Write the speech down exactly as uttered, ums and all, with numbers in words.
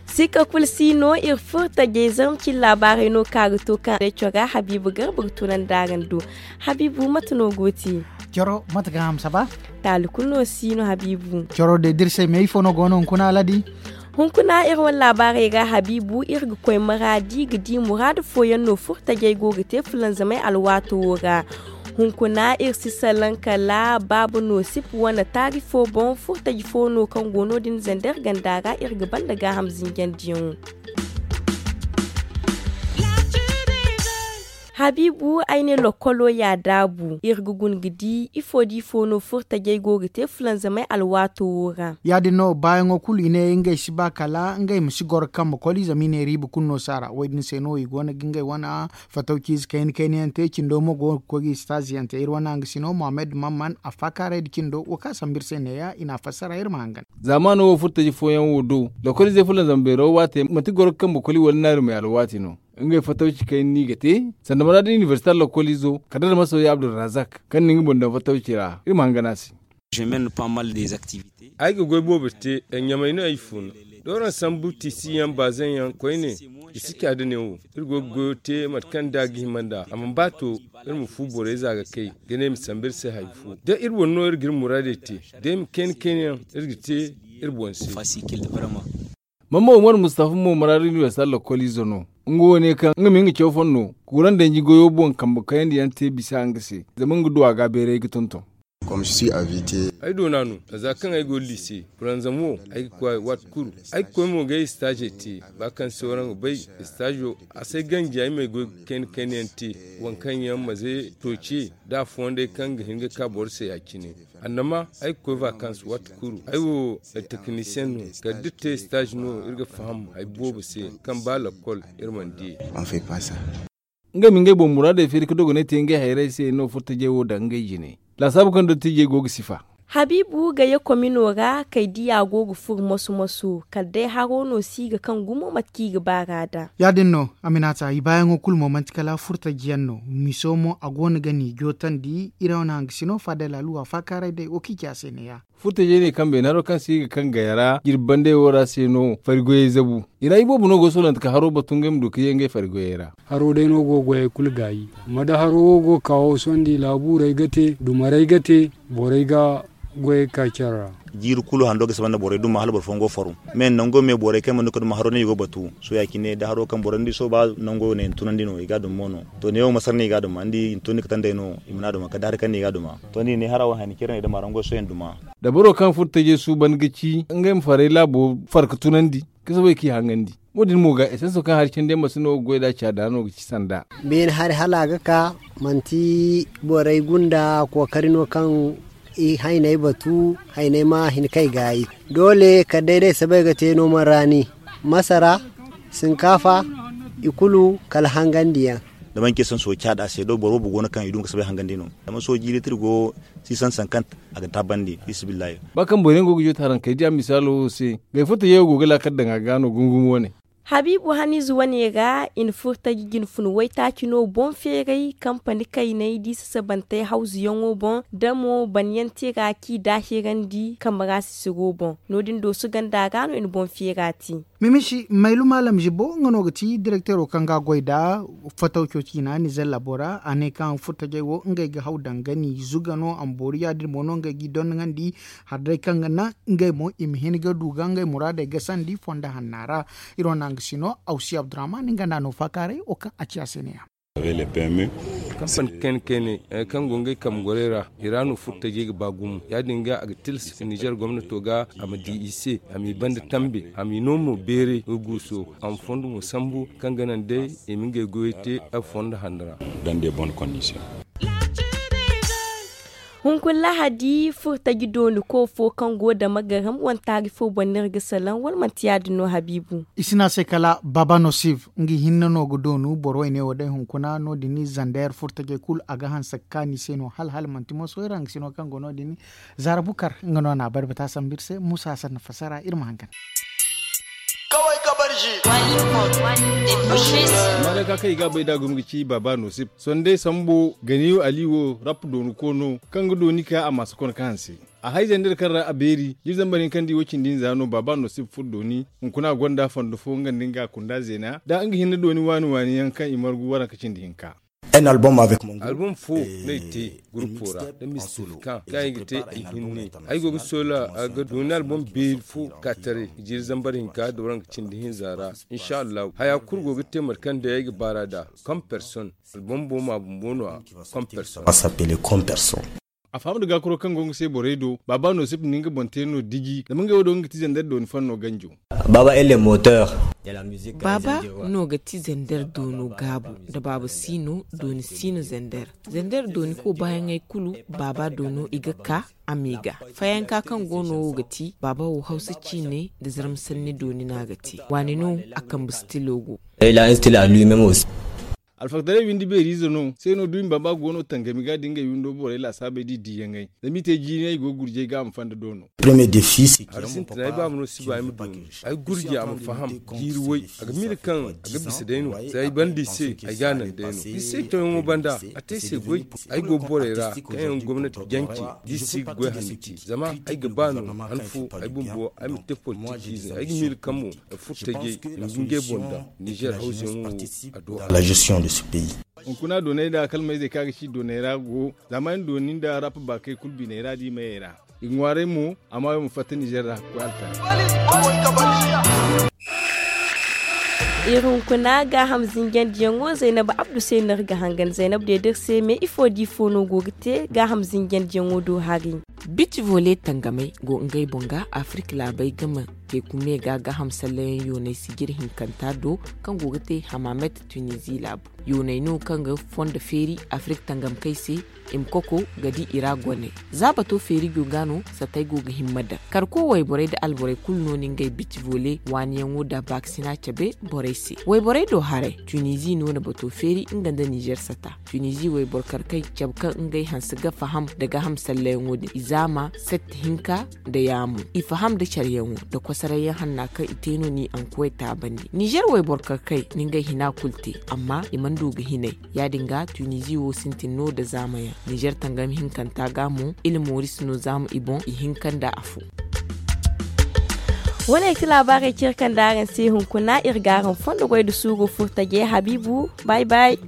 Sikka kulu si no iri furo tajey zarma cine laabaarey no kaŋ a ga to kaŋ day cora habiibu garba ga tunandi araŋ do. Habiibu mate no go te? Coro mate ga hamsa ba? Taali kulu no si no habiibu. Coro day da iri se me ifo no go no hunkuna aladi? Hunkuna iri wane laabaarey ra habiibu iri ga koy maraadi ga di muraadu fooyaŋ no furo tajey go ga te fulanzamey alwaato wo ra. Hunkuna iri si salaŋ kala baaba no sip wane taari fo boŋ furo taji fo no kaŋ go no- din zandar ganda ra iri ga banda gaaham zinjandiyaŋo. Habiibu ay ne lokkolo ya daabu iri ga guna ga di ifo da ifo no furo tajey go ga te fulanzamey alwaato wo ra. Ya- din no baayaŋo kulu i ne ngey si ba kala ngey ma si goro kambe koli zama i ne riiba kulu no si a ra wo- din se no i go no ga ngey wane fatawciize kayna kayna yaŋ te cindo mo go ga koy ga i sitaaziyaŋ te iri wane hanga sino mohammed mamman a faakaaray nda cindo wo kaŋ a sambu iri se neeya i n'a fassara iri ma hangan. Zaamaano wo furo taji fooyaŋ wo do lokoliizey fulanzam beero waate manti goro ga kambe koli wala naari may alwaati no. Ngey fatawci kayna no i ga te sanda maraadi inibersita lokoliizo kala da masoya abdulrazak kaŋ na nga boŋ daŋ fatawci ra iri ma hangan a se. Ay ga goy boobo te ɲamay no ay funa. D'araŋ sambu tiisiyaŋ baazaŋ yaŋ koyne i si ca da ne wo. Iri go ga goyo te mate kaŋ da a ga hima nd'a a mana ba to. Iri ma fu borey za ga kay ga ne i ma sambu iri se hari fo da iri boŋ no iri ga iri muraadey te. Day ma kayna kayna yaŋ iri ga te iri boŋ se. Mama umar mustafa mo maraadu inibersita lokoliizo no. Nga wo ne kaŋ nga ma nga caw fonno kuuraŋ danji goyo boŋ kambe kayandi yaŋ te bisa nga se zama nga du a ga beeray ga tonton. Ay doona no za kaŋ ay go liise. Fulanzam wo ay ga koy a waati kulu. Ay ga koy mo ga ay istaaze te ba kaŋ se waraŋ ga bay. Istaazo a se ganji ay ma ay goy ga kayna kayna yaŋ te. Waŋ kaŋ yaŋ maze tooce da a fondey kaŋ ga hin ga ka boro se ya- cine. Annama ay ga koy vakans waati kulu ay wo. Tekinisiyeŋ no kala da iri te istaazi no iri ga faham hari boobo se kaŋ ba lakkol iri mana di. Ngey ma ngey boŋ muraadey feeri ga dogonay te ngey hayrey se no furo tajey wo daŋ ngey jine. Laasaabu kaŋ dottijey go ga sifa. Habiibu ga ye komino ra kay diya go ga furo moso moso kala day haro no si ga kaŋ gumo mate kaŋ i ga baar'a daŋ. Ya- din no, aminata i baayaŋo kulu mo manti kala furo taji yaŋ no. Miso mo a go no ga ni jootandi iri wane hangasino fadel aluwa faakaaray day wo kaŋ i ci a se neeya. Furo tajey ne kaŋ beene haro kaŋ se i ga kaŋ gaya ra jirbi bandey wo ra se no fari goyey zabu. I ra iboobo no go soolante ka haro batu ngey ma du ka ye ngey fari goyey ra. Haro day no go ga goyey kulu gaayi. Amma da haro wo go ga ka wo sohõ da i laabuurey ga te dumarey ga te. Borey ga goyey ga ka care ra. Jiiri kulu hando ga saba nda borey duma hala boro fooyaŋ go ga faru. Me nango me borey kaŋ mana du ka duma haro no i go ga batu. Sohõ ya- cine da haro kaŋ boro ni di sohõ ba nango no i na tunandi no i ga a duma mo no. To neewo masar no i ga a duma ni di i na tunandi katandey no. I mana a duma kala da hari kaŋ no i ga a duma. To ni di ne hara wo hayni care no i dama ra ngo sohõ i na duma. Da boro kaŋ furo tajey suuban ga ci ngey ma farey laabo far ga tunandi. Ka soobay k'i hangandi. Wo- din mo ga esanso kaŋ hari candi yaŋ ma si no ga goy nd'a caada no ga ci sanda. Beene hari hala a ga ka manti borey gunda kookari no kaŋ i hayney batu hayney ma hin kay gaayi. Doole kala day day sabay ga te no man raani, masara, sinkaafa, i kulu kala hangandiyaŋ. Da manci esanso caada se do boro boobo go no kaŋ i duma ga sabay hangandi no. Zama sohõ jiiri tira go sisan sankant a ga taabandi. Fisibillahi. Ba kaŋ boro yaŋ go ga joote haraŋ kay diya misaalo wo se. Gay fo tajeyo go ga laakal daŋ a ga no gungum wane. Habiibu haniize wane ra i na furo taji jine fun waytaaci no boŋ feeray kampani kayney da i sasabantey hawzuyaŋo boŋ da mo banyaŋ te ra kaŋ i daahirandi kambe ra sisiro boŋ. No- din dooso ganda ra no i na boŋ feera te. Mimisi maylu maalam zibo nga no ga ti direkteero kaŋ ga a goy nd'a. Fatawco ciina nizer labo ra a ne kaŋ furo tajey wo ngey ga haw daŋ ga ni zuga no a ma boori ya- din mo no ngey g'i dondoŋandi. Hari day kaŋ ga naŋ ngey mo i ma hin ga du ga ngey muraadey gasandi fondo hanna ra. Iri wane hanga si no awsi abdurahman nga nd'a no faakaaray wo kaŋ a ci a se neeya. Kampani kayna kayna kaŋ go ngey kambe gorey ra i ra no furo tajey ga ba gumo ya- din ga a ga tilas nizer gomnato ga a ma di i se a m'i banda tambe a m'i no mo beeray ga guuso a ma fondo mo sambu kaŋ ga naŋ day i ma ngey goyey te a fondo hanno ra. Hunkuna lahadi furo taji dooni koofo kaŋ go dama garam wane taari fo boŋ no iri ga salaŋ wala manti ya- din no habiibu? I si ne a se kala baba nosiv nga hinne no ga doonu boro wane wo day hunkuna no- din zander furo tajey kulu a ga hanse ga kaanu i se no hala hala manti moso iri hanga si no kaŋ go no- din. Zaara bukar nga no n'a barbata sambu iri se muusa hasan na fassara iri ma hangan. Amma da ka kaŋ i ga a bay da gumi ga ci baaba nosip sonday sambo ganiyo ali wo rap dooni koono kaŋ ga dooni ka a ma si kono ka hanse. A hay zandar kaŋ ra a beeri jiri zambar hinka nda i wo cindi hinza no baaba nosip furo dooni. Hunkuna a gonda fondo fo nga nda nga kunda zeena da nga hinne dooni waani waani yaŋ kaŋ i margu waranka cindi hinka. Album fo no ay te gurupo ra nda mistifika kaŋ ay ga te ay hinne. Ay go ga soola ga dooni album beeri fo ka taray jiri zambar hinka da waranka cindi hinza ra. Inshallahu haya kulu go ga te mate kaŋ day ay ga baar'a da. Comme personne album bo ma bumbo no a comme personne. A faham da gaakaro kaŋ go nga se borey do baaba no sip ni nga boŋ te no diji zama ngey wo do nga ga ti zandar dooni fanno ganjo. Baaba no ga ti zandar doono gaabu. Da baaba si no dooni si no zandar. Zandar dooni ko baayaŋey kulu baaba doono i ga ka a ma i ga. Fayanka kaŋ go no wo ga ti baaba wo hawsa ciine nda zarma sanni dooni no a ga te. Waani no a kambe stilo go. Alfaktaray windi beeriize no se no duumi baaba go no tangami ga da ngey windo borey laasaabey da i diiyaŋey zama i te jiinay go ga gurjay ga a ma fanda doono. Hari sintina ay baaba no si ba ay ma dooni. Ay gurji a ma faham jiiri way a ga miila kaŋ a ga bisa day no. Za ay banda i se ay ga a naŋ day no i se toyaŋo banda a te ay se goy. Ay go borey ra kaŋ yaŋ gomnati jance da i si ga goy hanno te zama ay ga ba no han fo ay bumbo ay ma te politikiize ay ga miila kaŋ mo furtajey i ma ga ngey boŋ daŋ nizer hawzuyaŋo wo. A do a ra. Hunkuna doonay nda kalmayzey kaŋ a ga ci doonay ra go zaama yaŋ dooni nda rap baakey kulu biney ra da i mayey ra. I ga ŋwaaray mo a ma wo ma fatta nizer ra ga koy alkara. Iri hunkuna gaaham zinjandiyaŋo zaynab abdu se no iri ga hangan zaynab deed'iri se me ifo da ifo no go ga te gaaham zinjandiyaŋo do hari. Biti vole tangamey go ngey boŋ ga afirka laabey game. Teeku me ga gaaham sallayaŋ yooney sijir hinkanta do kaŋ go ga te hamamet tunizi laabu. Yooney no kaŋ ga fondo feeri afirka tangamkey se i ma koko ga di i ra goney. Za bato feeri go ga no satey go ga himma daŋ karko wayborey nda alborey kulu no ni ngey biti vole waaniyaŋo nda baakasina cabe borey se. Wayborey do haray tunizi no na bato feeri nga nda nizer sata. Tunizi wayboro karkey cabe kaŋ ngey hanse ga faham nda gaaham sallayaŋo din i zaama sette hinka nda yaamo i faham nda careyaŋo nda kosarayyaŋ hanna kaŋ i te no ni ankuwey taabandi nizer wayboro karkey ni ngey hina kulu te amma i mana du ga hinay. Ya- din ga tunizi wo sintin no nda zaamayaŋ nizer tangam hinkanta ga mo ila mooris no zaama i boŋ i hinka nda afo. Wane ay ti laabaarey cire kaŋ nda araŋ se hunkuna iri ga araŋ fondo goy nda suuru furtaje habiibu. Bay bay.